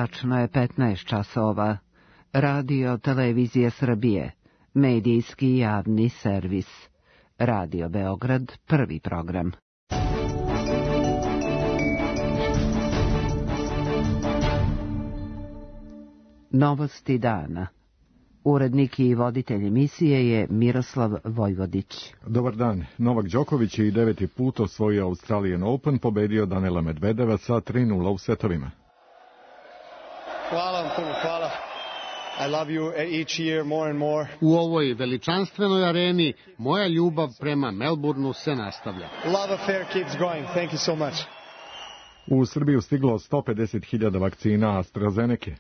Tačno je 15 časova. Radio Televizija Srbije, medijski javni servis. Radio Beograd, prvi program. Novosti dana. Urednik i voditelj emisije je Miroslav Vojvodić. Dobar dan. Novak Đoković je i 9. put osvojio Australian Open, pobedio Danila Medvedeva sa 3:0 u setovima. Hvala vam puno, hvala. I love you each year more and more. U ovoj veličanstvenoj areni moja ljubav prema Melbourneu se nastavlja. Love affair keeps going. Thank you so much. U Srbiju stiglo 150.000 vakcina AstraZeneca.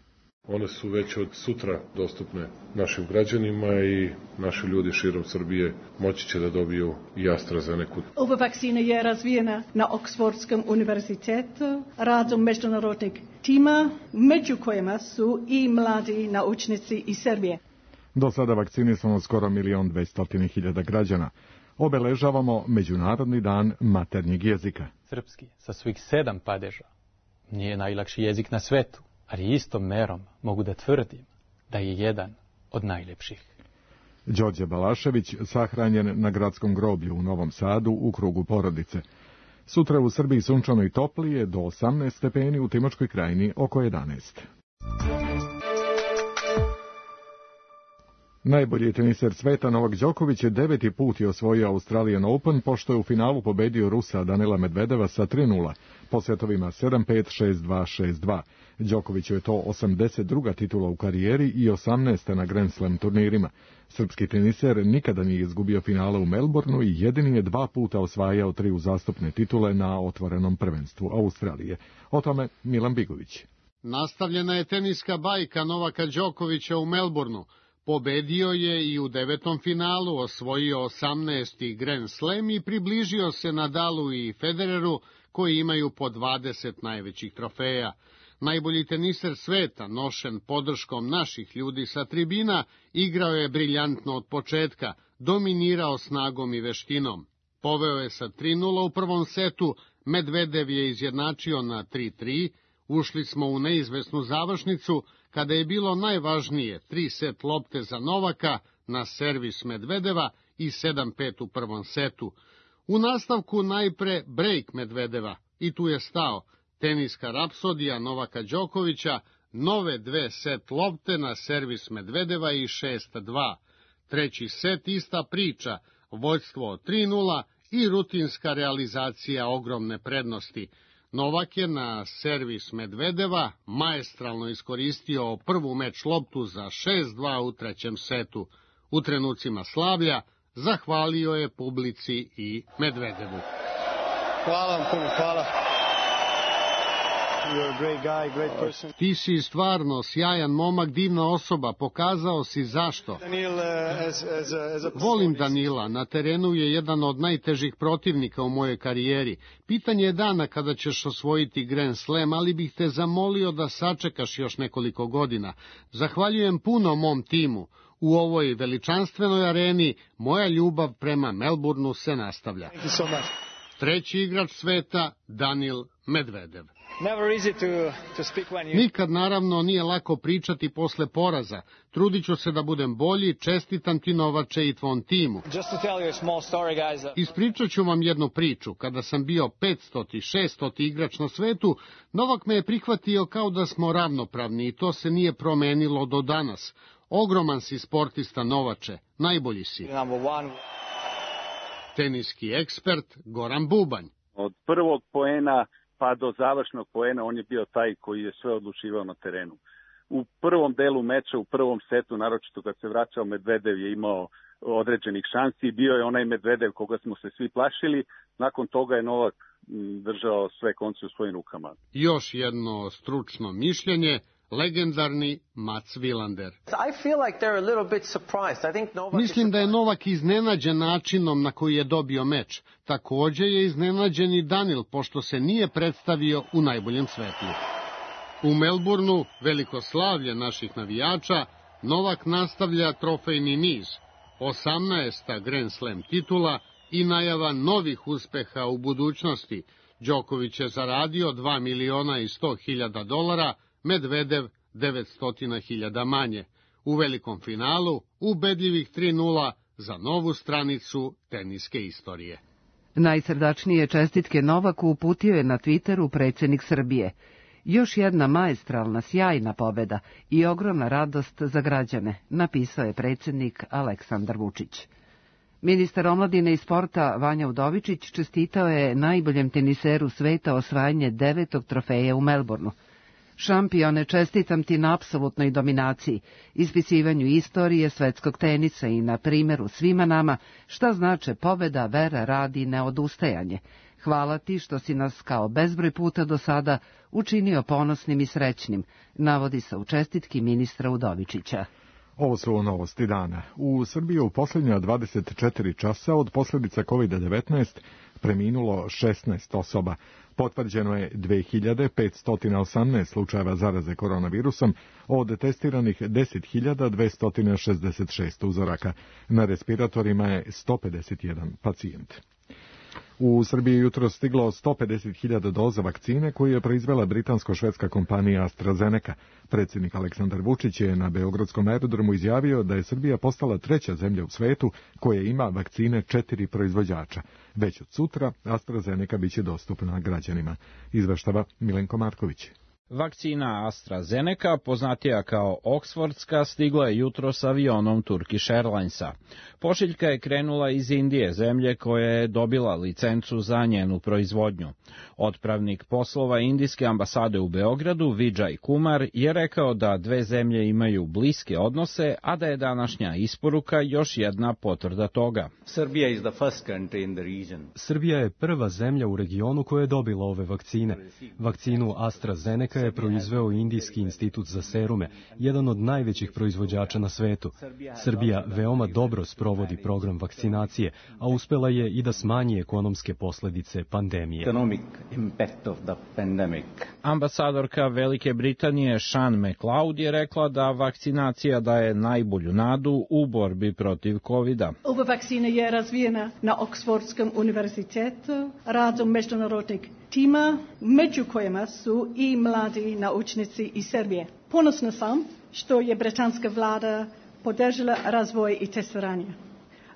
One su već od sutra dostupne našim građanima i naši ljudi širom Srbije moći će da dobiju i AstraZeneca. Ova vakcina je razvijena na Oksfordskom univerzitetu radom međunarodnog tima, među kojima su i mladi naučnici iz Srbije. Do sada vakcinisano skoro 1.200.000 građana. Obeležavamo Međunarodni dan maternjeg jezika. Srpski, sa svojih 7 padeža, nije najlakši jezik na svetu, ali istom merom mogu da tvrdim da je jedan od najlepših. Đorđe Balašević sahranjen na gradskom groblju u Novom Sadu u krugu porodice. Sutra u Srbiji sunčano i toplije, do 18 stepeni, u Timočkoj krajini oko 11. Najbolji teniser sveta Novak Đoković je 9. put osvojio Australian Open, pošto je u finalu pobedio Rusa Danila Medvedeva sa 3:0, po setovima 7-5, 6-2, 6-2. Đokoviću je to 82. titula u karijeri i 18. na Grand Slam turnirima. Srpski teniser nikada nije izgubio finale u Melbourneu i jedini je 2 puta osvajao 3 uzastopne titule na otvorenom prvenstvu Australije. O tome Milan Bigović. Nastavljena je teniska bajka Novaka Đokovića u Melbourneu. Pobedio je i u 9. finalu, osvojio 18. Grand Slam i približio se Nadalu i Federeru, koji imaju po 20 najvećih trofeja. Najbolji teniser sveta, nošen podrškom naših ljudi sa tribina, igrao je briljantno od početka, dominirao snagom i veštinom. Poveo je sa 3:0 u prvom setu, Medvedev je izjednačio na 3:3, ušli smo u neizvesnu završnicu, kada je bilo najvažnije 3 set lopte za Novaka na servis Medvedeva i 7:5 u prvom setu. U nastavku najpre break Medvedeva i tu je stao. Teniska rapsodija Novaka Đokovića, nove 2 set lopte na servis Medvedeva i 6:2. Treći set ista priča, vođstvo 3:0 i rutinska realizacija ogromne prednosti. Novak je na servis Medvedeva maestralno iskoristio prvu meč loptu za 6:2 u trećem setu. U trenucima slavlja zahvalio je publici i Medvedevu. Hvala vam puno, hvala. You're a great guy, great person. Ti si stvarno sjajan momak, divna osoba, pokazao si zašto. Volim Danila, na terenu je jedan od najtežih protivnika u mojoj karijeri. Pitanje je dana kada ćeš osvojiti Grand Slam, ali bih te zamolio da sačekaš još nekoliko godina. Zahvaljujem puno mom timu. U ovoj veličanstvenoj areni moja ljubav prema Melbourneu se nastavlja. Treći igrač sveta, Danil Medvedev. Nikad naravno nije lako pričati posle poraza. Trudit ću se da budem bolji, čestitam ti Novače i tvom timu. Ispričat ću vam jednu priču. Kada sam bio 500. 600. igrač na svetu, Novak me je prihvatio kao da smo ravnopravni i to se nije promenilo do danas. Ogroman si sportista Novače, najbolji si. Teniski ekspert Goran Bubanj. Od prvog poena pa do završnog poena on je bio taj koji je sve odlučivao na terenu. U prvom delu meča, u prvom setu, naročito kad se vraćao Medvedev, je imao određenih šansi. Bio je onaj Medvedev koga smo se svi plašili. Nakon toga je Novak držao sve konce u svojim rukama. Još jedno stručno mišljenje, legendarni Mats Wilander. Mislim da je Novak iznenađen načinom na koji je dobio meč. Također je iznenađen i Danil, pošto se nije predstavio u najboljem svetlu. U Melbourneu, veliko slavlje naših navijača, Novak nastavlja trofejni niz. 18. Grand Slam titula i najava novih uspeha u budućnosti. Đoković je zaradio $2.100.000, Medvedev 900.000 manje. U velikom finalu ubedljivih 3:0 za novu stranicu teniske istorije. Najsrdačnije čestitke Novaku uputio je na Twitteru predsjednik Srbije. Još jedna maestralna, sjajna pobjeda i ogromna radost za građane, napisao je predsjednik Aleksandar Vučić. Ministar omladine i sporta Vanja Udovičić čestitao je najboljem teniseru sveta osvajanje 9. trofeja u Melbourneu. Šampione, čestitam ti na apsolutnoj dominaciji, ispisivanju istorije svetskog tenisa i na primjeru svima nama šta znače pobjeda, vera, rad i neodustajanje. Hvala ti što si nas kao bezbroj puta do sada učinio ponosnim i srećnim, navodi se u čestitki ministra Udovičića. Ovo su novosti dana. U Srbiji u posljednja 24 časa od posljedica COVID-19 preminulo 16 osoba. Potvrđeno je 2518 slučajeva zaraze koronavirusom, od testiranih 10.266 uzoraka. Na respiratorima je 151 pacijent. U Srbiji jutro stiglo 150.000 doza vakcine koju je proizvela britansko-švedska kompanija AstraZeneca. Predsjednik Aleksandar Vučić je na beogradskom aerodromu izjavio da je Srbija postala 3. zemlja u svetu koja ima vakcine 4 proizvođača. Već od sutra AstraZeneca biće dostupna građanima. Izveštava Milenko Marković. Vakcina AstraZeneca, poznatija kao Oksfordska, stigla je jutro s avionom Turkish Airlinesa. Pošiljka je krenula iz Indije, zemlje koja je dobila licencu za njenu proizvodnju. Otpravnik poslova indijske ambasade u Beogradu, Vijay Kumar, je rekao da dve zemlje imaju bliske odnose, a da je današnja isporuka još jedna potvrda toga. Srbija je prva zemlja u regionu koja je dobila ove vakcine. Vakcinu AstraZeneca je proizveo Indijski institut za serume, jedan od najvećih proizvođača na svetu. Srbija veoma dobro sprovodi program vakcinacije, a uspela je i da smanji ekonomske posljedice pandemije. Ambasadorka Velike Britanije Sean McLeod je rekla da vakcinacija daje najbolju nadu u borbi protiv COVID-a. Ova vakcina je razvijena na Oksfordskom univerzitetu radom međunarodnog tima, među kojima su i mladi naučnici iz Srbije. Ponosna sam što je britanska vlada podržala razvoj i testiranje.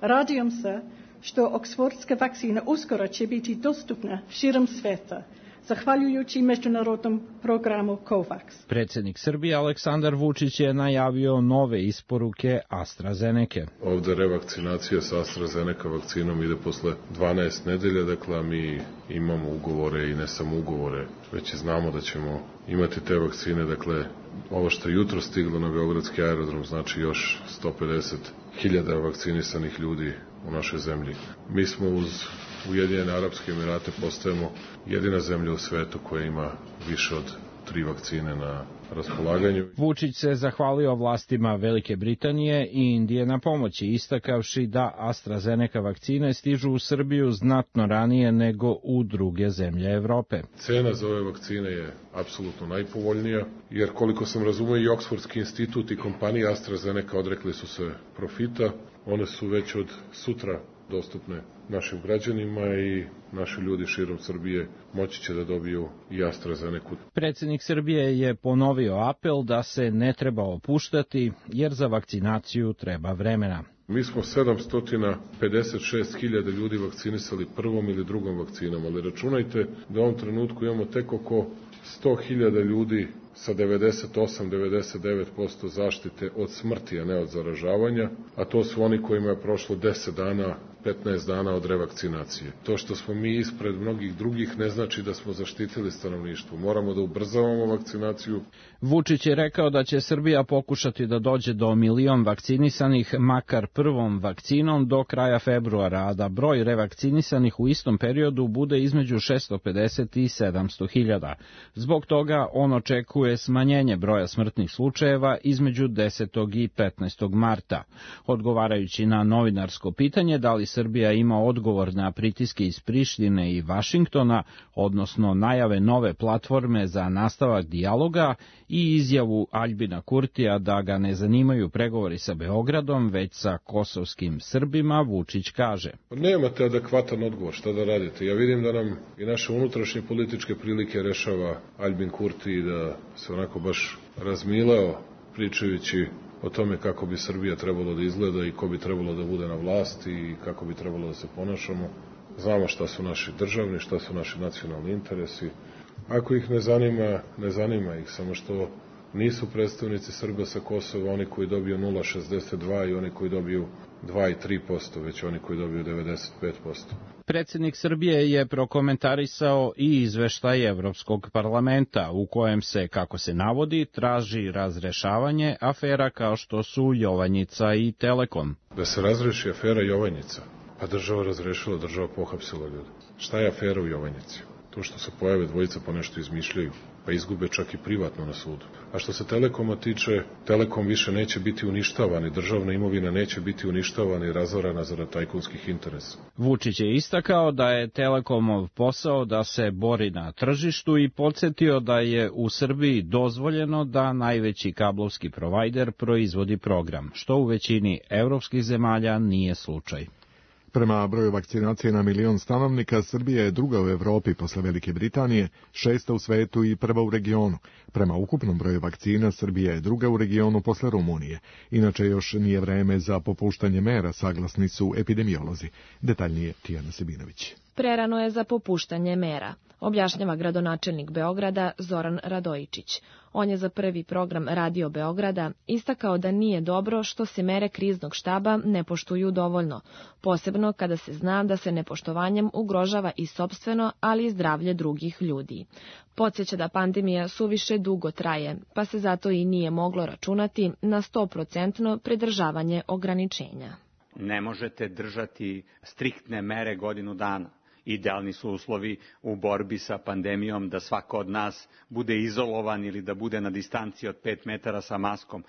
Radujem se što oksfordska vakcina uskoro će biti dostupna širom sveta, zahvaljujući međunarodnom programu COVAX. Predsjednik Srbije Aleksandar Vučić je najavio nove isporuke AstraZeneca. Ovdje revakcinacija sa AstraZeneca vakcinom ide posle 12 nedelja, dakle mi imamo ugovore i ne samo ugovore, već i znamo da ćemo imati te vakcine, dakle ovo što je jutro stiglo na beogradski aerodrom znači još 150.000 vakcinisanih ljudi u našoj zemlji. Mi smo uz Ujedinjene Arapske Emirate postajemo jedina zemlja u svetu koja ima više od 3 vakcine na raspolaganju. Vučić se zahvalio vlastima Velike Britanije i Indije na pomoći, istakavši da AstraZeneca vakcine stižu u Srbiju znatno ranije nego u druge zemlje Evrope. Cena za ove vakcine je apsolutno najpovoljnija, jer koliko sam razumio i Oksfordski institut i kompanija AstraZeneca odrekli su se profita. One su već od sutra dostupne našim građanima i naši ljudi širom Srbije moći će da dobiju i AstraZeneca. Predsjednik Srbije je ponovio apel da se ne treba opuštati jer za vakcinaciju treba vremena. Mi smo 756.000 ljudi vakcinisali prvom ili drugom vakcinom, ali računajte da u ovom trenutku imamo tek oko 100.000 ljudi sa 98-99% zaštite od smrti, a ne od zaražavanja, a to su oni kojima je prošlo 10 dana, 15 dana od revakcinacije. To što smo mi ispred mnogih drugih ne znači da smo zaštitili stanovništvo. Moramo da ubrzavamo vakcinaciju. Vučić je rekao da će Srbija pokušati da dođe do 1 milion vakcinisanih makar prvom vakcinom do kraja februara, a da broj revakcinisanih u istom periodu bude između 650 i 700.000. Zbog toga on očekuje smanjenje broja smrtnih slučajeva između 10. i 15. marta. Odgovarajući na novinarsko pitanje da li Srbija ima odgovor na pritiske iz Prištine i Vašingtona, odnosno najave nove platforme za nastavak dijaloga i izjavu Aljbina Kurtija da ga ne zanimaju pregovori sa Beogradom, već sa kosovskim Srbima, Vučić kaže: Nemate adekvatan odgovor, šta da radite? Ja vidim da nam i naše unutrašnje političke prilike rešava Aljbin Kurti i da se onako baš razmileo pričajući o tome kako bi Srbija trebalo da izgleda i ko bi trebalo da bude na vlasti i kako bi trebalo da se ponašamo. Znamo šta su naši državni, šta su naši nacionalni interesi. Ako ih ne zanima ih, samo što nisu predstavnici Srba sa Kosova oni koji dobiju 0,62 i oni koji dobiju 2 i 3%, već oni koji dobiju 95%. Predsjednik Srbije je prokomentarisao i izveštaj Evropskog parlamenta, u kojem se, kako se navodi, traži razrešavanje afera kao što su Jovanjica i Telekom. Da se razreši afera Jovanjica, pa država razrešila, država pohapsila ljude. Šta je afera u Jovanjici? To što se pojave dvojica pa nešto izmišljaju, pa izgube čak i privatno na sudu. A što se Telekoma tiče, Telekom više neće biti uništavan i državna imovina neće biti uništavana i razorana zarad tajkunskih interesa. Vučić je istakao da je Telekomov posao da se bori na tržištu i podsjetio da je u Srbiji dozvoljeno da najveći kablovski provajder proizvodi program, što u većini evropskih zemalja nije slučaj. Prema broju vakcinacije na milion stanovnika, Srbija je druga u Evropi posle Velike Britanije, 6. u svetu i prva u regionu. Prema ukupnom broju vakcina, Srbija je druga u regionu posle Rumunije. Inače, još nije vreme za popuštanje mera, saglasni su epidemiolozi. Detaljnije Tijana Sebinović. Prerano je za popuštanje mera, objašnjava gradonačelnik Beograda Zoran Radojičić. On je za prvi program Radio Beograda istakao da nije dobro što se mere kriznog štaba ne poštuju dovoljno, posebno kada se zna da se nepoštovanjem ugrožava i sopstveno, ali i zdravlje drugih ljudi. Podsjeća da pandemija suviše dugo traje, pa se zato i nije moglo računati na 100% pridržavanje ograničenja. Ne možete držati striktne mere godinu dana. Idealni su uslovi u borbi sa pandemijom da svako od nas bude izolovan ili da bude na distanci od 5 metara sa maskom,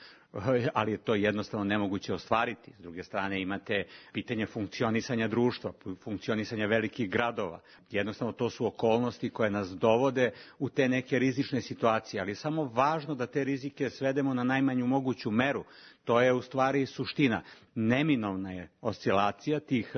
ali je to jednostavno nemoguće ostvariti. S druge strane imate pitanje funkcionisanja društva, funkcionisanja velikih gradova. Jednostavno to su okolnosti koje nas dovode u te neke rizične situacije, ali je samo važno da te rizike svedemo na najmanju moguću meru. To je u stvari suština. Neminovna je oscilacija tih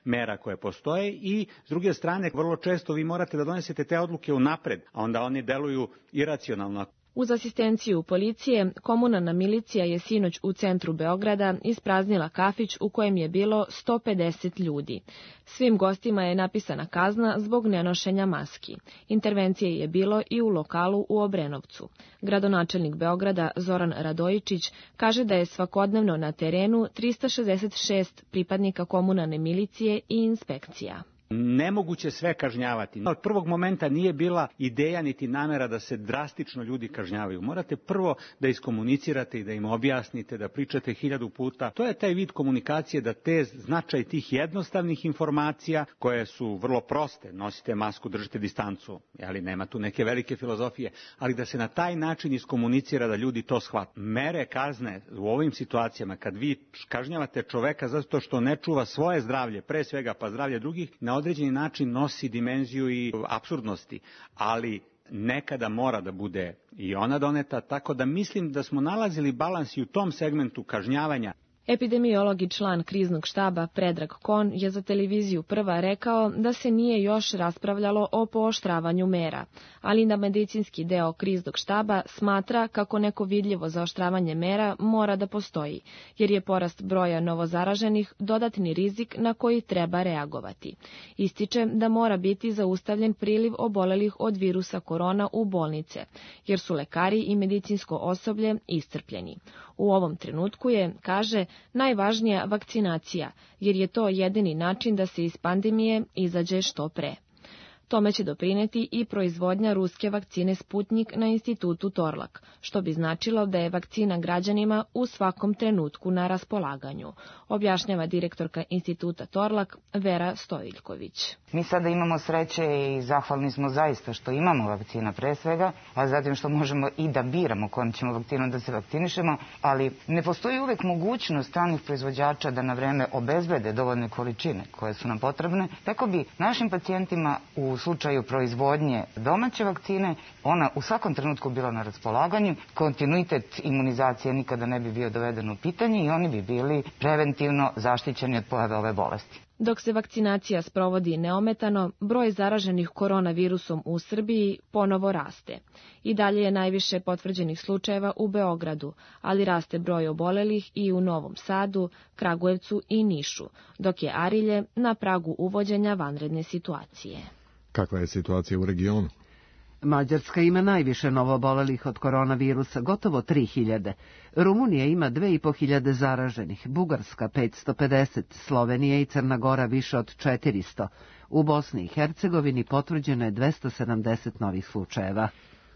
mera koje postoje i s druge strane vrlo često vi morate da donesete te odluke unapred, a onda oni deluju iracionalno. Uz asistenciju policije, komunalna milicija je sinoć u centru Beograda ispraznila kafić u kojem je bilo 150 ljudi. Svim gostima je napisana kazna zbog nenošenja maski. Intervencije je bilo i u lokalu u Obrenovcu. Gradonačelnik Beograda Zoran Radojičić kaže da je svakodnevno na terenu 366 pripadnika komunalne milicije i inspekcija. Nemoguće sve kažnjavati. Od prvog momenta nije bila ideja niti namera da se drastično ljudi kažnjavaju. Morate prvo da iskomunicirate i da im objasnite, da pričate 1000 puta. To je taj vid komunikacije da te značaj tih jednostavnih informacija koje su vrlo proste, nosite masku, držite distancu, ali nema tu neke velike filozofije, ali da se na taj način iskomunicira da ljudi to shvate. Mere kazne u ovim situacijama, kad vi kažnjavate čoveka zato što ne čuva svoje zdravlje, pre svega pa zdravlje drugih, na određeni način nosi dimenziju i apsurdnosti, ali nekada mora da bude i ona doneta, tako da mislim da smo nalazili balans i u tom segmentu kažnjavanja. Epidemiolog i član kriznog štaba Predrag Kon je za televiziju Prva rekao da se nije još raspravljalo o pooštravanju mera, ali da medicinski deo kriznog štaba smatra kako neko vidljivo zaoštravanje mera mora da postoji, jer je porast broja novozaraženih dodatni rizik na koji treba reagovati. Ističe da mora biti zaustavljen priliv obolelih od virusa korona u bolnice, jer su lekari i medicinsko osoblje iscrpljeni. U ovom trenutku je, kaže, najvažnija vakcinacija, jer je to jedini način da se iz pandemije izađe što pre. Tome će doprineti i proizvodnja ruske vakcine Sputnik na institutu Torlak, što bi značilo da je vakcina građanima u svakom trenutku na raspolaganju, objašnjava direktorka instituta Torlak Vera Stojiljković. Mi sada imamo sreće i zahvalni smo zaista što imamo vakcina pre svega, a zatim što možemo i da biramo kojom ćemo vakcinom da se vakcinišemo, ali ne postoji uvek mogućnost stranih proizvođača da na vreme obezbede dovoljne količine koje su nam potrebne, tako bi našim pacijentima u slučaju proizvodnje domaće vakcine ona u svakom trenutku bila na raspolaganju, kontinuitet imunizacije nikada ne bi bio doveden u pitanje i oni bi bili preventivno zaštićeni od pojave ove bolesti. Dok se vakcinacija sprovodi neometano, broj zaraženih koronavirusom u Srbiji ponovo raste. I dalje je najviše potvrđenih slučajeva u Beogradu, ali raste broj obolelih i u Novom Sadu, Kragujevcu i Nišu, dok je Arilje na pragu uvođenja vanredne situacije. Kakva je situacija u regionu? Mađarska ima najviše novoobolelih od koronavirusa, gotovo 3000. Rumunija ima 2500 zaraženih, Bugarska 550, Slovenija i Crna Gora više od 400. U Bosni i Hercegovini potvrđeno je 270 novih slučajeva.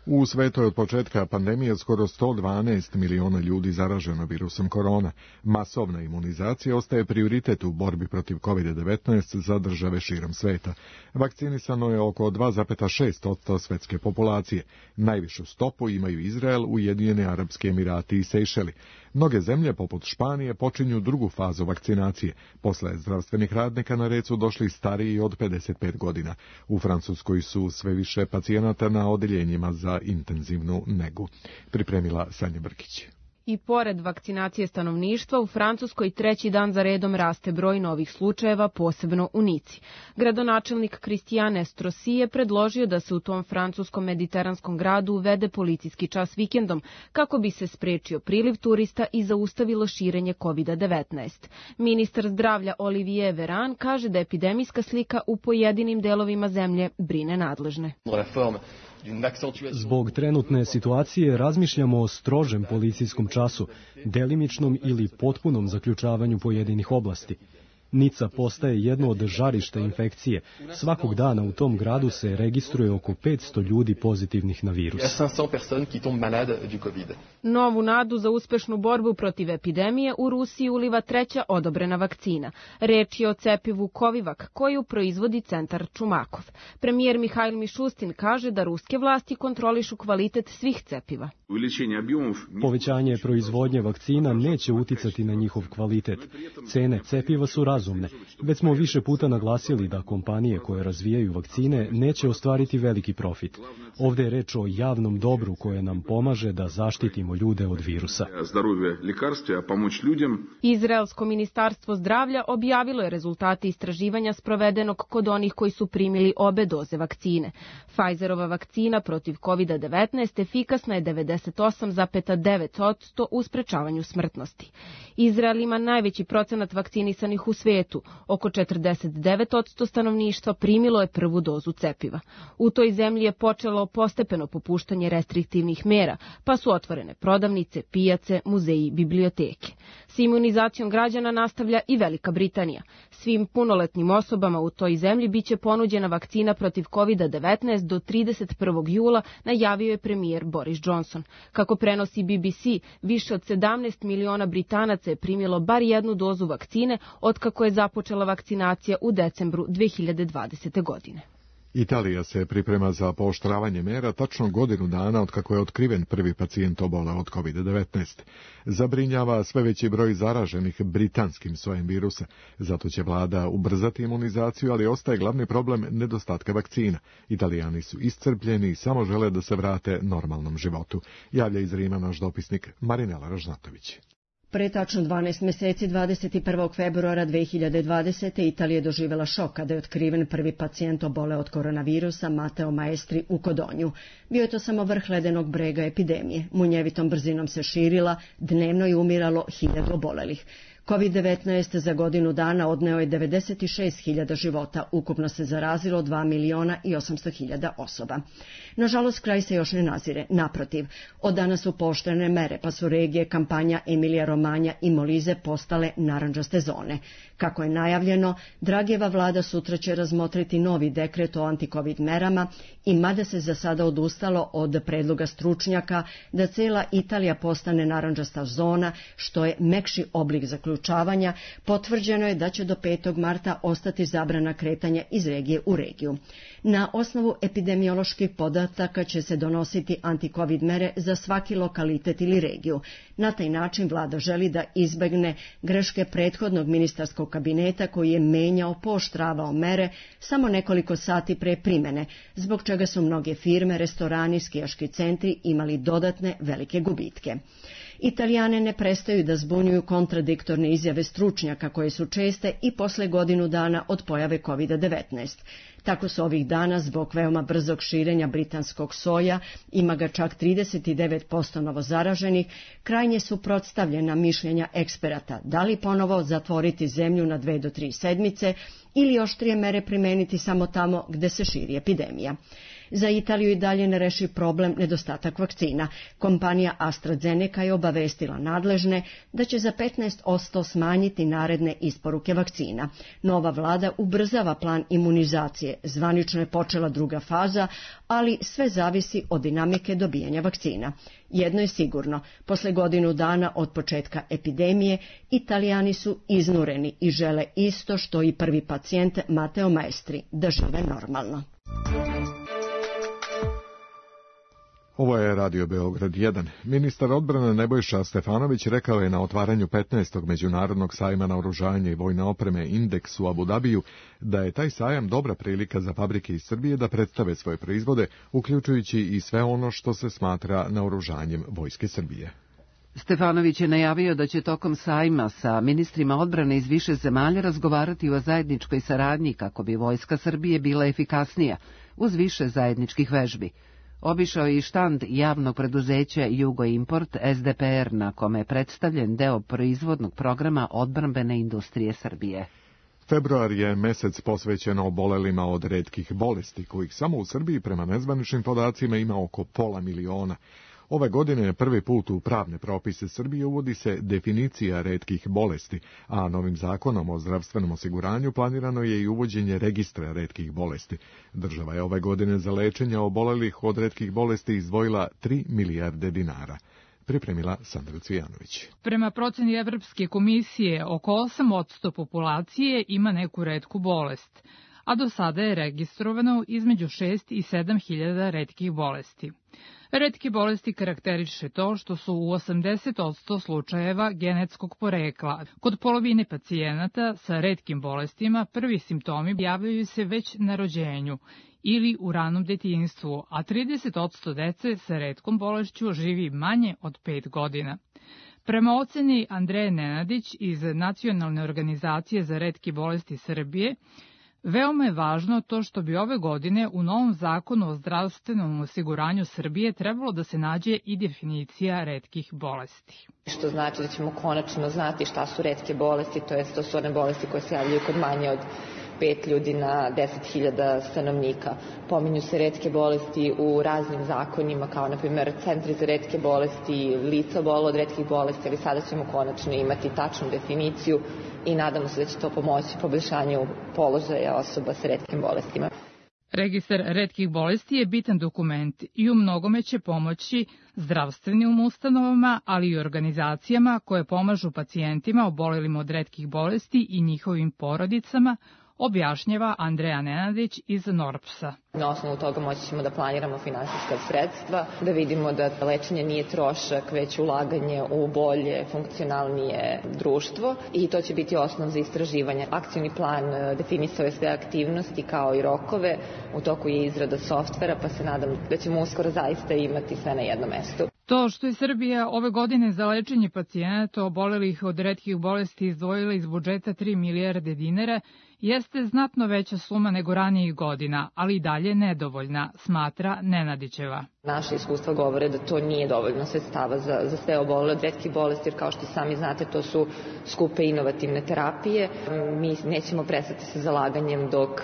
U svetu je od početka pandemije skoro 112 miliona ljudi zaraženo virusom korona. Masovna imunizacija ostaje prioritet u borbi protiv COVID-19 za države širom sveta. Vakcinisano je oko 2,6% svetske populacije. Najvišu stopu imaju Izrael, Ujedinjeni Arapski Emirati i Sejšeli. Mnoge zemlje, poput Španije, počinju drugu fazu vakcinacije. Posle zdravstvenih radnika na red su došli stariji od 55 godina. U Francuskoj su sve više pacijenata na odeljenjima za intenzivnu negu. Pripremila Sanja Brkić. I pored vakcinacije stanovništva, u Francuskoj treći dan za redom raste broj novih slučajeva, posebno u Nici. Gradonačelnik Christian Estrosi je predložio da se u tom francuskom mediteranskom gradu uvede policijski čas vikendom, kako bi se sprečio priliv turista i zaustavilo širenje COVID-19. Ministar zdravlja Olivier Véran kaže da epidemijska slika u pojedinim delovima zemlje brine nadležne. Zbog trenutne situacije razmišljamo o strožem policijskom času, delimičnom ili potpunom zaključavanju pojedinih oblasti. Nica postaje jedno od žarišta infekcije. Svakog dana u tom gradu se registruje oko 500 ljudi pozitivnih na virus. Novu nadu za uspešnu borbu protiv epidemije u Rusiji uliva treća odobrena vakcina. Reč je o cepivu Covivak, koju proizvodi centar Čumakov. Premijer Mihajl Mišustin kaže da ruske vlasti kontrolišu kvalitet svih cepiva. Povećanje proizvodnje vakcina neće uticati na njihov kvalitet. Cene cepiva su razumne. Već smo više puta naglasili da kompanije koje razvijaju vakcine neće ostvariti veliki profit. Ovdje je reč o javnom dobru koje nam pomaže da zaštitimo ljude od virusa. Izraelsko ministarstvo zdravlja objavilo je rezultate istraživanja sprovedenog kod onih koji su primili obe doze vakcine. Pfizerova vakcina protiv COVID-19 efikasna je 98,9% u sprečavanju smrtnosti. Izrael ima najveći procenat vakcinisanih u svijetu. Oko 49% stanovništva primilo je prvu dozu cepiva. U toj zemlji je počelo postepeno popuštanje restriktivnih mera, pa su otvorene prodavnice, pijace, muzeji, biblioteke. S imunizacijom građana nastavlja i Velika Britanija. Svim punoletnim osobama u toj zemlji biće ponuđena vakcina protiv COVID-19 do 31. jula, najavio je premijer Boris Johnson. Kako prenosi BBC, više od 17 miliona Britanaca je primilo bar jednu dozu vakcine otkako je započela vakcinacija u decembru 2020. godine. Italija se priprema za pooštravanje mera tačno godinu dana od kako je otkriven prvi pacijent oboleo od COVID-19. Zabrinjava sve veći broj zaraženih britanskim sojem virusa. Zato će vlada ubrzati imunizaciju, ali ostaje glavni problem nedostatka vakcina. Italijani su iscrpljeni i samo žele da se vrate normalnom životu. Javlja iz Rima naš dopisnik Marinela Ražnatović. Pre tačno 12 meseci, 21. februara 2020. Italija je doživjela šok kada je otkriven prvi pacijent oboleo od koronavirusa, Matteo Maestri, u Kodonju. Bio je to samo vrh ledenog brega epidemije. Munjevitom brzinom se širila, dnevno je umiralo 1000 obolelih. COVID-19 za godinu dana odneo je 96.000 života, ukupno se zarazilo 2.800.000 osoba. Nažalost, kraj se još ne nazire. Naprotiv, od danas su pooštrene mere, pa su regije kampanja Emilija Romanja i Molize postale narandžaste zone. Kako je najavljeno, Dragijeva vlada sutra će razmotriti novi dekret o antikovid merama i mada se za sada odustalo od predloga stručnjaka da cela Italija postane narandžasta zona, što je mekši oblik zaključavanja, potvrđeno je da će do 5. marta ostati zabrana kretanja iz regije u regiju. Na osnovu epidemioloških podataka će se donositi antikovid mere za svaki lokalitet ili regiju. Na taj način vlada želi da izbegne greške prethodnog ministarskog kabineta koji je menjao, pooštravao mere samo nekoliko sati pre primene, zbog čega su mnoge firme, restorani, skijaški centri imali dodatne velike gubitke. Italijane ne prestaju da zbunjuju kontradiktorne izjave stručnjaka koje su česte i posle godinu dana od pojave COVID-19. Tako su ovih dana zbog veoma brzog širenja britanskog soja, ima ga čak 39% novozaraženih, krajnje suprotstavljena mišljenja eksperata, da li ponovo zatvoriti zemlju na 2 do 3 sedmice ili oštrije mere primeniti samo tamo gde se širi epidemija. Za Italiju i dalje ne reši problem nedostatak vakcina. Kompanija AstraZeneca je obavestila nadležne da će za 15% smanjiti naredne isporuke vakcina. Nova vlada ubrzava plan imunizacije. Zvanično je počela druga faza, ali sve zavisi od dinamike dobijanja vakcina. Jedno je sigurno, posle godinu dana od početka epidemije, Italijani su iznureni i žele isto što i prvi pacijent Mateo Maestri, da žive normalno. Ovo je Radio Beograd 1. Ministar odbrane Nebojša Stefanović rekao je na otvaranju 15. međunarodnog sajma naoružanja i vojne opreme Indeks u Abu Dabiju da je taj sajam dobra prilika za fabrike iz Srbije da predstave svoje proizvode, uključujući i sve ono što se smatra naoružanjem Vojske Srbije. Stefanović je najavio da će tokom sajma sa ministrima odbrane iz više zemalja razgovarati o zajedničkoj saradnji kako bi Vojska Srbije bila efikasnija, uz više zajedničkih vežbi. Obišao je i štand javnog preduzeća Jugoimport SDPR, na kome je predstavljen deo proizvodnog programa odbrambene industrije Srbije. Februar je mesec posvećen obolelima od retkih bolesti, kojih samo u Srbiji prema nezvaničnim podacima ima oko 500.000. Ove godine prvi put u pravne propise Srbije uvodi se definicija retkih bolesti, a novim zakonom o zdravstvenom osiguranju planirano je i uvođenje registra retkih bolesti. Država je ove godine za lečenje obolelih od retkih bolesti izdvojila 3 milijarde dinara. Pripremila Sandra Cvijanović. Prema proceni Evropske komisije, oko 8% populacije ima neku retku bolest, a do sada je registrovano između 6 i 7 hiljada retkih bolesti. Retke bolesti karakteriše to što su u 80% slučajeva genetskog porekla. Kod polovine pacijenata sa retkim bolestima prvi simptomi javljaju se već na rođenju ili u ranom detinjstvu, a 30% dece sa retkom bolešću živi manje od 5 godina. Prema oceni Andreje Nenadić iz Nacionalne organizacije za retke bolesti Srbije, veoma je važno to što bi ove godine u novom zakonu o zdravstvenom osiguranju Srbije trebalo da se nađe i definicija retkih bolesti. Što znači da ćemo konačno znati šta su retke bolesti, to su one bolesti koje se javljaju kod manje od 5 ljudi na 10.000 stanovnika. Pominju se retke bolesti u raznim zakonima, kao na primjer centri za retke bolesti, lica obola od retkih bolesti, ali sada ćemo konačno imati tačnu definiciju i nadamo se da će to pomoći poboljšanju položaja osoba sa retkim bolestima. Registar retkih bolesti je bitan dokument i u mnogome će pomoći zdravstvenim ustanovama, ali i organizacijama koje pomažu pacijentima obolelim od retkih bolesti i njihovim porodicama, objašnjava Andreja Nenadić iz NORPS-a. Na osnovu toga moći ćemo da planiramo finansijska sredstva, da vidimo da lečenje nije trošak, već ulaganje u bolje, funkcionalnije društvo i to će biti osnov za istraživanje. Akcioni plan definisao je sve aktivnosti kao i rokove, u toku je izrada softvera, pa se nadam da ćemo uskoro zaista imati sve na jednom mestu. To što je Srbija ove godine za lečenje pacijenata obolelih od retkih bolesti izdvojila iz budžeta 3 milijarde dinara jeste znatno veća suma nego ranijih godina, ali i dalje nedovoljna, smatra Nenadićeva. Naše iskustva govore da to nije dovoljno sredstava za sve obolele od retkih bolesti, jer kao što sami znate, to su skupe inovativne terapije. Mi nećemo prestati sa zalaganjem dok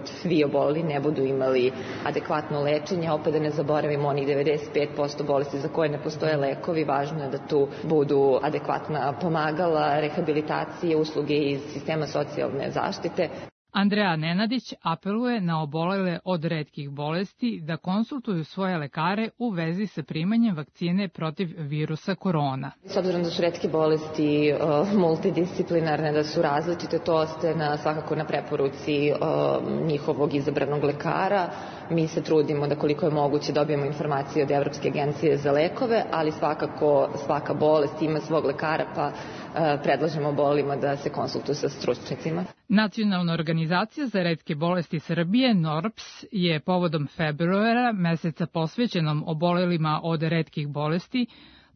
svi oboleli ne budu imali adekvatno lečenje. Opet da ne zaboravimo onih 95% bolesti za koje ne postoje lekovi. Važno je da tu budu adekvatna pomagala, rehabilitacije, usluge iz sistema socijalne zaštite. Andreja Nenadić apeluje na obolele od retkih bolesti da konsultuju svoje lekare u vezi sa primanjem vakcine protiv virusa korona. S obzirom da su retke bolesti multidisciplinarne, da su različite, to ostaje svakako na preporuci njihovog izabranog lekara. Mi se trudimo da koliko je moguće dobijemo informacije od Evropske agencije za lekove, ali svakako svaka bolest ima svog lekara, pa predlažemo obolelima da se konsultuju sa stručnjacima. Nacionalna organizacija za retke bolesti Srbije, NORPS, je povodom februara, meseca posvećenom obolelima od retkih bolesti,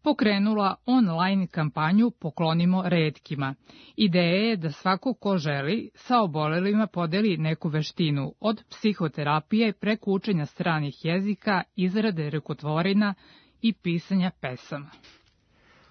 pokrenula online kampanju Poklonimo retkima. Ideja je da svako ko želi sa obolelima podeli neku veštinu, od psihoterapije preko učenja stranih jezika, izrade rukotvorina i pisanja pesama.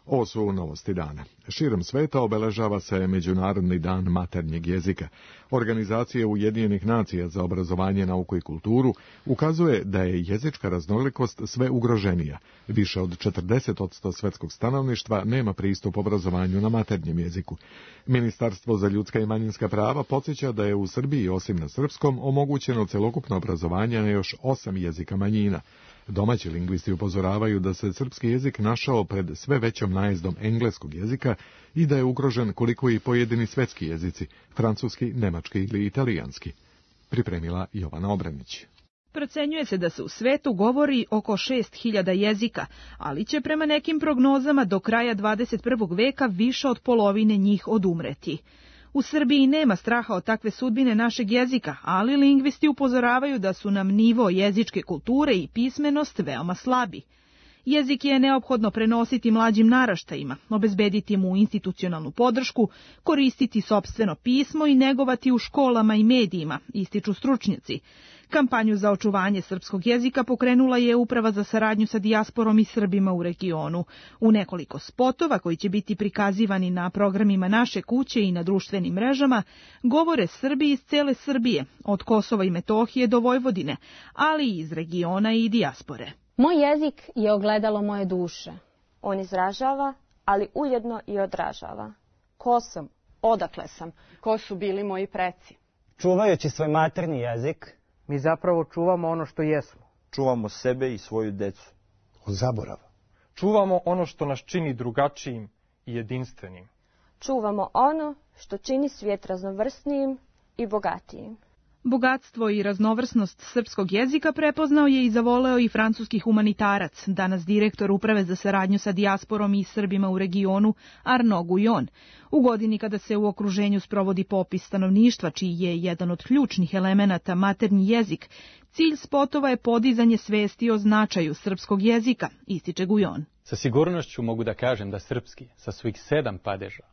Ovo su novosti dana. Širom sveta obeležava se Međunarodni dan maternjeg jezika. Organizacija Ujedinjenih nacija za obrazovanje, nauku i kulturu ukazuje da je jezička raznolikost sve ugroženija. Više od 40% svetskog stanovništva nema pristup obrazovanju na maternjem jeziku. Ministarstvo za ljudska i manjinska prava podsjeća da je u Srbiji, osim na srpskom, omogućeno celokupno obrazovanje na još 8 jezika manjina. Domaći lingvisti upozoravaju da se srpski jezik našao pred sve većom najezdom engleskog jezika i da je ugrožen koliko i pojedini svetski jezici, francuski, nemački ili italijanski. Pripremila Jovana Obranić. Procenjuje se da se u svetu govori oko 6000 jezika, ali će prema nekim prognozama do kraja 21. veka više od polovine njih odumreti. U Srbiji nema straha od takve sudbine našeg jezika, ali lingvisti upozoravaju da su nam nivo jezičke kulture i pismenost veoma slabi. Jezik je neophodno prenositi mlađim naraštajima, obezbediti mu institucionalnu podršku, koristiti sopstveno pismo i negovati u školama i medijima, ističu stručnjaci. Kampanju za očuvanje srpskog jezika pokrenula je Uprava za saradnju sa dijasporom i Srbima u regionu. U nekoliko spotova koji će biti prikazivani na programima Naše kuće i na društvenim mrežama govore Srbi iz cele Srbije, od Kosova i Metohije do Vojvodine, ali i iz regiona i dijaspore. Moj jezik je ogledalo moje duše. On izražava, ali ujedno i odražava. Ko sam? Odakle sam? Ko su bili moji preci? Čuvajući svoj maternji jezik, mi zapravo čuvamo ono što jesmo. Čuvamo sebe i svoju decu. Od zaborava. Čuvamo ono što nas čini drugačijim i jedinstvenim. Čuvamo ono što čini svijet raznovrsnijim i bogatijim. Bogatstvo i raznovrsnost srpskog jezika prepoznao je i zavoleo i francuski humanitarac, danas direktor Uprave za saradnju sa dijasporom i Srbima u regionu, Arnaud Guyon. U godini kada se u okruženju sprovodi popis stanovništva, čiji je jedan od ključnih elemenata maternji jezik, cilj spotova je podizanje svesti o značaju srpskog jezika, ističe Guyon. Sa sigurnošću mogu da kažem da srpski, sa svojih 7 padeža,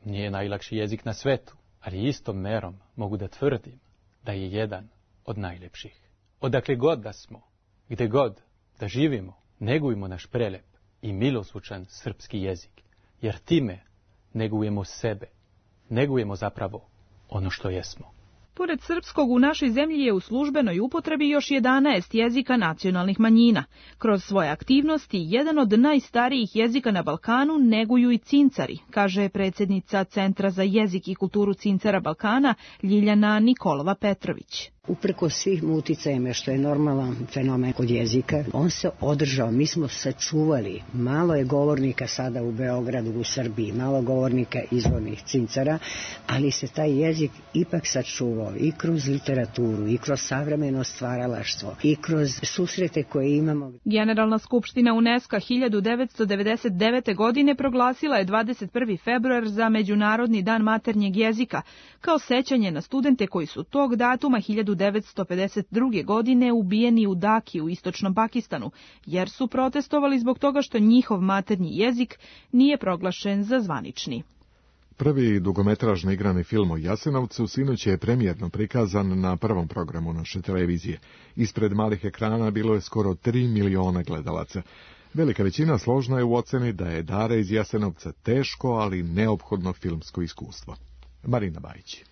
nije najlakši jezik na svetu, ali istom merom mogu da tvrdim da je jedan od najlepših. Odakle god da smo, gde god da živimo, negujmo naš prelep i miloslučan srpski jezik, jer time negujemo sebe, negujemo zapravo ono što jesmo. Pored srpskog, u našoj zemlji je u službenoj upotrebi još 11 jezika nacionalnih manjina. Kroz svoje aktivnosti, jedan od najstarijih jezika na Balkanu neguju i cincari, kaže predsjednica Centra za jezik i kulturu cincara Balkana, Ljiljana Nikolova Petrović. Uprko svim uticajima, što je normalan fenomen kod jezika, on se održao, mi smo sačuvali. Malo je govornika sada u Beogradu, u Srbiji, malo govornika izvornih cincara, ali se taj jezik ipak sačuvao i kroz literaturu, i kroz savremeno stvaralaštvo, i kroz susrete koje imamo. Generalna skupština UNESCO 1999. godine proglasila je 21. februar za Međunarodni dan maternjeg jezika, kao sećanje na studente koji su tog datuma 1952. godine ubijeni u Daki u istočnom Pakistanu, jer su protestovali zbog toga što njihov maternji jezik nije proglašen za zvanični. Prvi dugometražni igrani film o Jasenovcu sinoć je premijerno prikazan na prvom programu naše televizije. Ispred malih ekrana bilo je skoro 3 miliona gledalaca. Velika većina složna je u oceni da je Dara iz Jasenovca teško, ali neophodno filmsko iskustvo. Marina Bajić.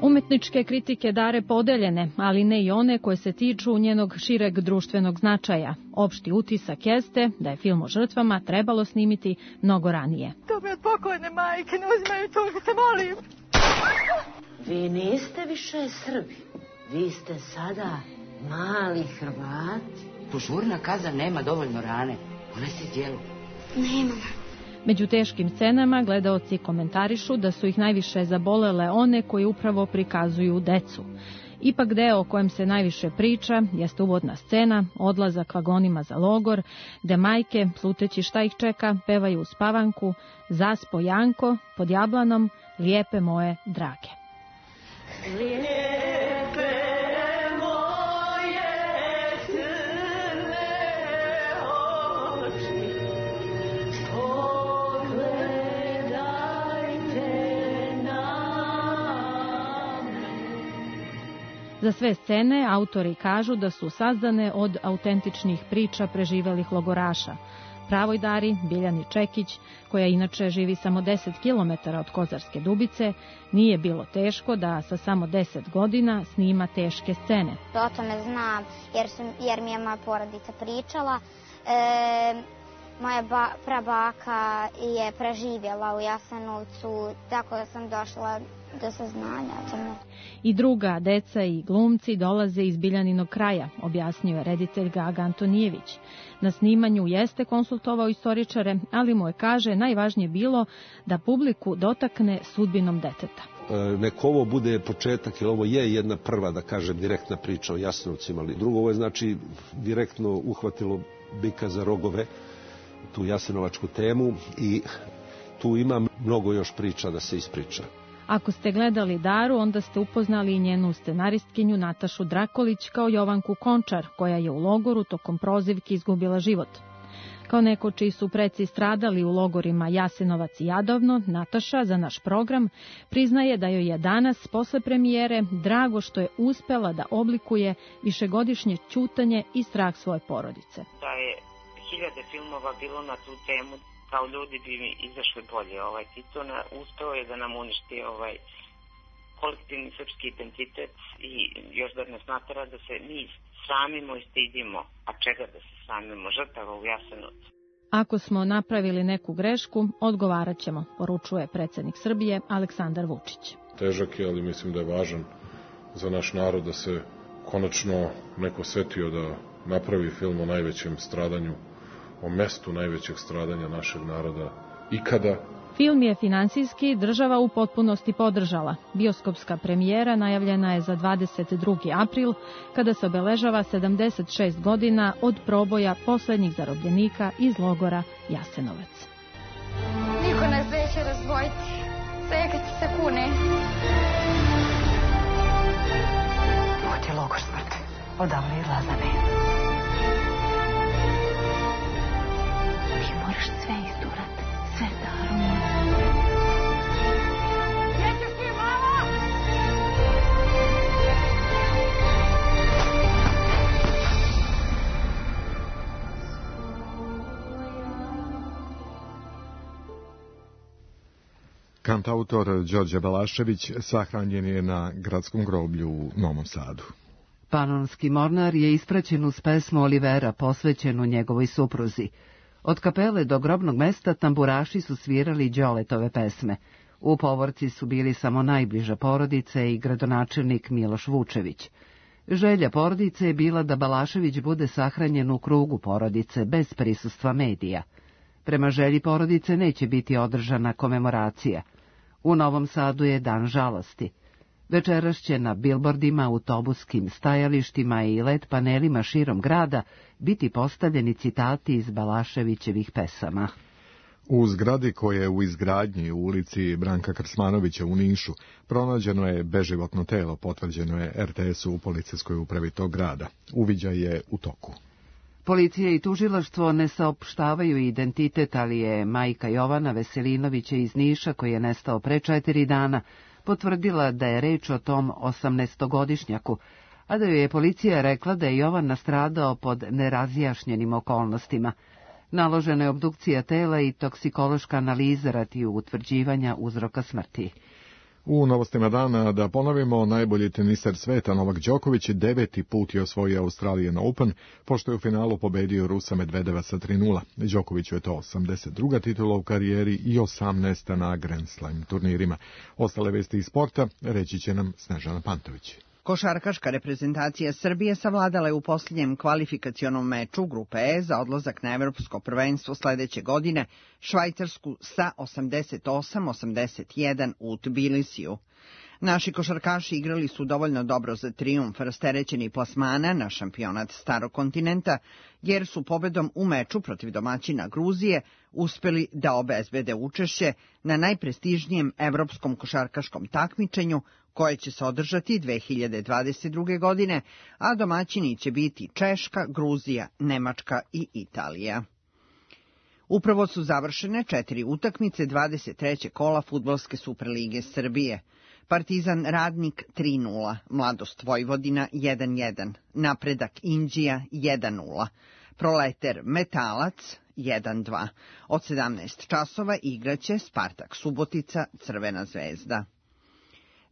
Umetničke kritike Dare podeljene, ali ne i one koje se tiču njenog šireg društvenog značaja. Opšti utisak jeste da je film o žrtvama trebalo snimiti mnogo ranije. To mi od pokojne majke, ne uzimaju to, te molim. Vi niste više Srbi, vi ste sada mali Hrvati. Požurna kaza nema dovoljno rane, ona se djelu. Nema. Među teškim scenama gledaoci komentarišu da su ih najviše zabolele one koji upravo prikazuju decu. Ipak deo o kojem se najviše priča jeste uvodna scena, odlazak vagonima za logor, gde majke, sluteći šta ih čeka, pevaju uspavanku, zaspo Janko, pod jablanom, lijepe moje drage. Za sve scene autori kažu da su sazdane od autentičnih priča preživelih logoraša. Pravoj Dari, Biljani Čekić, koja inače živi samo 10 km od Kozarske Dubice, nije bilo teško da sa samo 10 godina snima teške scene. O tome znam jer mi je moja porodica pričala. Moja prabaka je preživjela u Jasenovcu, tako da sam došla do saznanja o tome. I druga deca i glumci dolaze iz Biljaninog kraja, objasnio je reditelj Gaga Antonijević. Na snimanju jeste konsultovao istoričare, ali mu je, kaže, najvažnije bilo da publiku dotakne sudbinom deteta. Nek ovo bude početak, jer ovo je jedna prva, da kažem, direktna priča o Jasenovcima, ali drugo, ovo je znači direktno uhvatilo bika za rogove, tu jasenovačku temu, i tu ima mnogo još priča da se ispriča. Ako ste gledali Daru, onda ste upoznali i njenu scenaristkinju Natašu Drakolić kao Jovanku Končar, koja je u logoru tokom prozivki izgubila život. Kao neko čiji su preci stradali u logorima Jasenovac i Jadovno, Nataša za naš program priznaje da joj je danas, posle premijere, drago što je uspela da oblikuje višegodišnje ćutanje i strah svoje porodice. Da je 1000 filmova bilo na tu temu, kao ljudi bi mi izašli bolje. Tito uspeo je da nam uništi kolektivni srpski identitet i još da nas natera da se mi sramimo i stidimo. A čega da se sramimo? Žrtava u Jasenovcu. Ako smo napravili neku grešku, odgovarat ćemo, poručuje predsjednik Srbije Aleksandar Vučić. Težak je, ali mislim da je važan za naš narod da se konačno neko setio da napravi film o najvećem stradanju, o mestu najvećeg stradanja našeg naroda ikada. Film je finansijski država u potpunosti podržala. Bioskopska premijera najavljena je za 22. april, kada se obeležava 76 godina od proboja posljednjih zarobljenika iz logora Jasenovac. Niko nas neće razdvojiti, sve kad se kune. Ovo ti je logor smrti, odavno je Lazane. Moraš sve isturat, sve Daro moja. Nećeš ti, mama! Kantautor Đorđe Balašević sahranjen je na gradskom groblju u Novom Sadu. Panonski mornar je ispraćen uz pesmu Olivera posvećenu njegovoj supruzi. Od kapele do grobnog mesta tamburaši su svirali Đoletove pesme. U povorci su bili samo najbliža porodice i gradonačelnik Miloš Vučević. Želja porodice je bila da Balašević bude sahranjen u krugu porodice, bez prisustva medija. Prema želji porodice neće biti održana komemoracija. U Novom Sadu je dan žalosti. Večeras će na bilbordima, autobuskim stajalištima i LED panelima širom grada biti postavljeni citati iz Balaševićevih pesama. U zgradi koja je u izgradnji u ulici Branka Krsmanovića u Nišu pronađeno je beživotno telo, potvrđeno je RTS-u u policijskoj upravi tog grada. Uviđaj je u toku. Policija i tužilaštvo ne saopštavaju identitet, ali je majka Jovana Veselinovića iz Niša, koji je nestao pre 4 dana, potvrdila da je reč o tom 18-godišnjaku, a da joj je policija rekla da je Jovan nastradao pod nerazjašnjenim okolnostima. Naložena je obdukcija tela i toksikološka analiza radi utvrđivanja uzroka smrti. U novostima dana da ponovimo, najbolji teniser sveta Novak Đoković 9. put je osvojio Australian Open, pošto je u finalu pobedio Rusa Medvedeva sa 3:0. Đokoviću je to 82. titula u karijeri i 18. na Grand Slam turnirima. Ostale vesti iz sporta reći će nam Snežana Pantović. Košarkaška reprezentacija Srbije savladala je u posljednjem kvalifikacionom meču Grupe E za odlazak na Evropsko prvenstvo sledeće godine Švajcarsku sa 88-81 u Tbilisiju. Naši košarkaši igrali su dovoljno dobro za trijumf rasterećeni plasmana na šampionat Starog kontinenta, jer su pobedom u meču protiv domaćina Gruzije uspeli da obezbede učešće na najprestižnijem evropskom košarkaškom takmičenju koje će se održati 2022. godine, a domaćini će biti Češka, Gruzija, Nemačka i Italija. Upravo su završene 4 utakmice 23. kola Fudbalske Superlige Srbije. Partizan Radnik 3:0, Mladost Vojvodina 1:1, Napredak Inđija 1:0, Proleter Metalac 1:2. Od 17 časova igraće Spartak Subotica Crvena zvezda.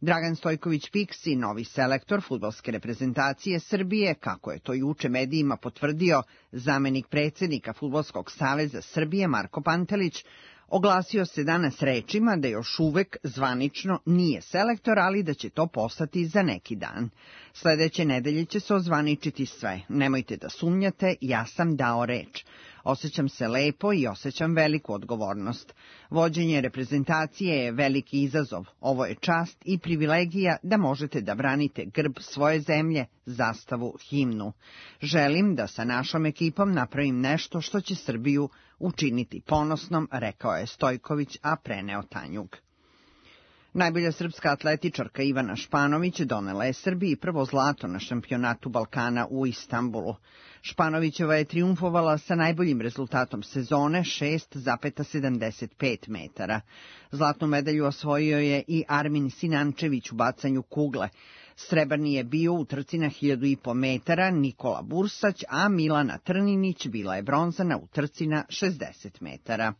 Dragan Stojković Piksi, novi selektor fudbalske reprezentacije Srbije, kako je to juče medijima potvrdio zamenik predsjednika Fudbalskog saveza Srbije Marko Pantelić, oglasio se danas rečima da još uvek zvanično nije selektor, ali da će to postati za neki dan. Sledeće nedelje će se ozvaničiti sve. Nemojte da sumnjate, ja sam dao reč. Osjećam se lepo i osjećam veliku odgovornost. Vođenje reprezentacije je veliki izazov. Ovo je čast i privilegija da možete da branite grb svoje zemlje, zastavu, himnu. Želim da sa našom ekipom napravim nešto što će Srbiju učiniti ponosnom, rekao je Stojković, a preneo Tanjug. Najbolja srpska atletičarka Ivana Španović donela je Srbiji prvo zlato na šampionatu Balkana u Istanbulu. Španovićeva je trijumfovala sa najboljim rezultatom sezone 6,75 metara. Zlatnu medalju osvojio je i Armin Sinančević u bacanju kugle. Srebrni je bio u trci na 1500 metara Nikola Bursać, a Milana Trninić bila je bronzana u trci na 60 metara.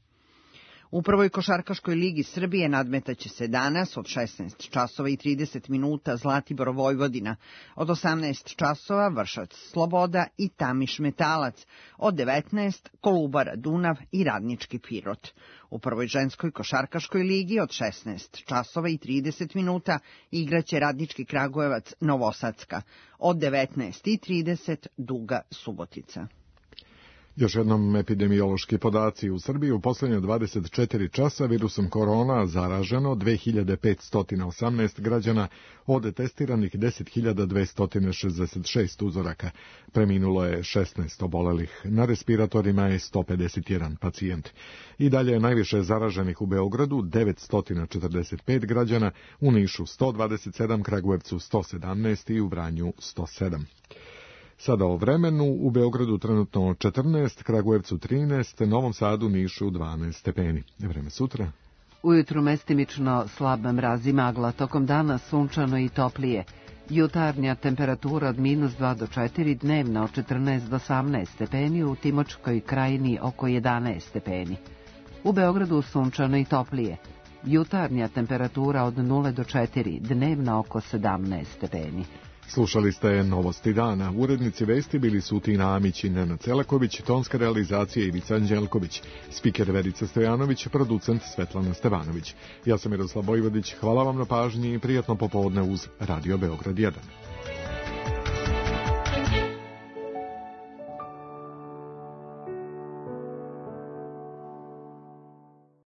U prvoj košarkaškoj ligi Srbije nadmetaće se danas od 16 časova i 30 minuta Zlatibor Vojvodina, od 18 časova Vršac Sloboda i Tamiš Metalac, od 19 Kolubara Dunav i Radnički Pirot. U prvoj ženskoj košarkaškoj ligi od 16 časova i 30 minuta igraće Radnički Kragujevac Novosadska, od 19:30 Duga Subotica. Još jednom epidemiološki podaci. U Srbiji u posljednje 24 časa virusom korona zaraženo 2518 građana, od testiranih 10.266 uzoraka. Preminulo je 16 obolelih. Na respiratorima je 151 pacijent. I dalje je najviše zaraženih u Beogradu, 945 građana, u Nišu 127, Kragujevcu 117 i u Vranju 107. Sada o vremenu, u Beogradu trenutno 14, Kragujevcu 13, Novom Sadu, Nišu 12 stepeni. Vreme sutra. Ujutru mestimično slab mraz i magla, tokom dana sunčano i toplije. Jutarnja temperatura od -2 do 4, dnevna od 14 do 18 stepeni, u Timočkoj krajini oko 11 stepeni. U Beogradu sunčano i toplije. Jutarnja temperatura od 0 do 4, dnevna oko 17 stepeni. Slušali ste Novosti dana. Urednici vesti bili su Tina Amić i Nenad Celaković, tonska realizacija Ivica Anđelković, spiker Verica Stojanović, producent Svetlana Stevanović. Ja sam Miroslav Vojvodić, hvala vam na pažnji i prijatno popodne uz Radio Beograd 1.